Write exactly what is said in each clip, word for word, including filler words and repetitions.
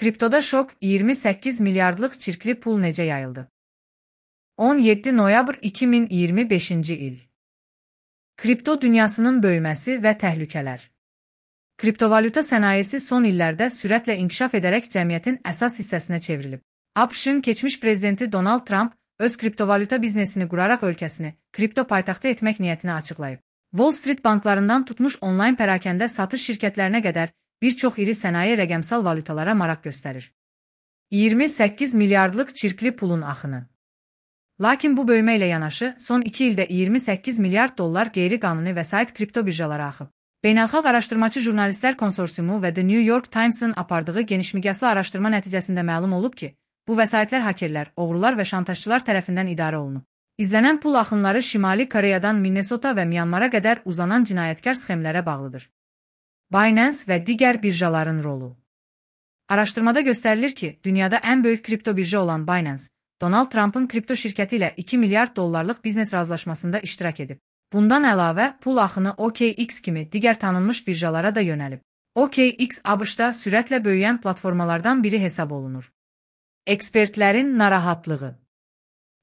Kriptoda şok, iyirmi səkkiz milyardlıq çirkli pul necə yayıldı? on yeddi noyabr iki min iyirmi beşinci il. Kripto dünyasının böyüməsi və təhlükələr. Kriptovalyuta sənayesi son illərdə sürətlə inkişaf edərək cəmiyyətin əsas hissəsinə çevrilib. ABŞ-ın keçmiş prezidenti Donald Trump öz kriptovalyuta biznesini quraraq ölkəsini kripto paytaxtı etmək niyyətini açıqlayıb. Wall Street banklarından tutmuş onlayn pərakəndə satış şirkətlərinə qədər bir çox iri sənaye rəqəmsal valyutalara maraq göstərir. iyirmi səkkiz milyardlıq çirkli pulun axını. Lakin bu böyümə ilə yanaşı, son iki ildə iyirmi səkkiz milyard dollar qeyri-qanuni vəsait kripto birjalara axıb. Beynəlxalq Araşdırmacı Jurnalistlər Konsorsiumu və The New York Times'ın apardığı genişmiqyaslı araşdırma nəticəsində məlum olub ki, bu vəsaitlər hakerlər, oğrular və şantajçılar tərəfindən idarə olunub. İzlənən pul axınları Şimali Koreyadan Minnesota və Myanmara qədər uzanan cinayətkar sxemlərə bağlıdır. Binance və digər birjaların rolu. Araşdırmada göstərilir ki, dünyada ən böyük kripto birja olan Binance, Donald Trump'ın kripto şirkəti ilə iki milyard dollarlıq biznes razılaşmasında iştirak edib. Bundan əlavə, pul axını O K X kimi digər tanınmış birjalara da yönəlib. O K X ABŞ-da sürətlə böyüyən platformalardan biri hesab olunur. Ekspertlərin narahatlığı.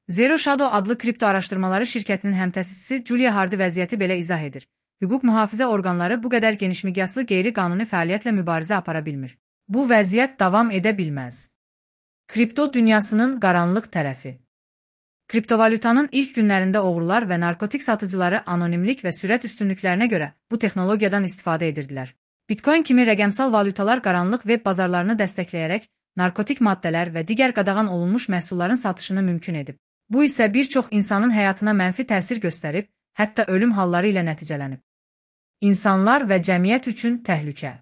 Zero Shadow adlı kripto araşdırmaları şirkətinin həmtəsisçisi Julia Hardy vəziyyəti belə izah edir. Hüquq mühafizə orqanları bu qədər genişmiqyaslı qeyri-qanuni fəaliyyətlə mübarizə apara bilmir. Bu vəziyyət davam edə bilməz. Kripto dünyasının qaranlıq tərəfi. Kriptovalyutanın ilk günlərində oğrular və narkotik satıcıları anonimlik və sürət üstünlüklərinə görə bu texnologiyadan istifadə edirdilər. Bitcoin kimi rəqəmsal valyutalar qaranlıq web bazarlarını dəstəkləyərək narkotik maddələr və digər qadağan olunmuş məhsulların satışını mümkün edib. Bu isə bir çox insanın həyatına mənfi təsir göstərib, hətta ölüm halları ilə nəticələnib. İnsanlar və cəmiyyət üçün təhlükə.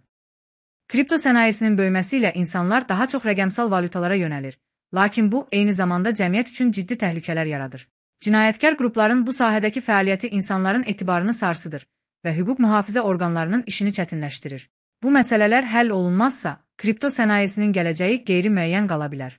Kripto sənayesinin böyüməsi ilə insanlar daha çox rəqəmsal valyutalara yönəlir. Lakin bu, eyni zamanda cəmiyyət üçün ciddi təhlükələr yaradır. Cinayətkar qrupların bu sahədəki fəaliyyəti insanların etibarını sarsıdır və hüquq mühafizə orqanlarının işini çətinləşdirir. Bu məsələlər həll olunmazsa, kripto sənayesinin gələcəyi qeyri-müəyyən qala bilər.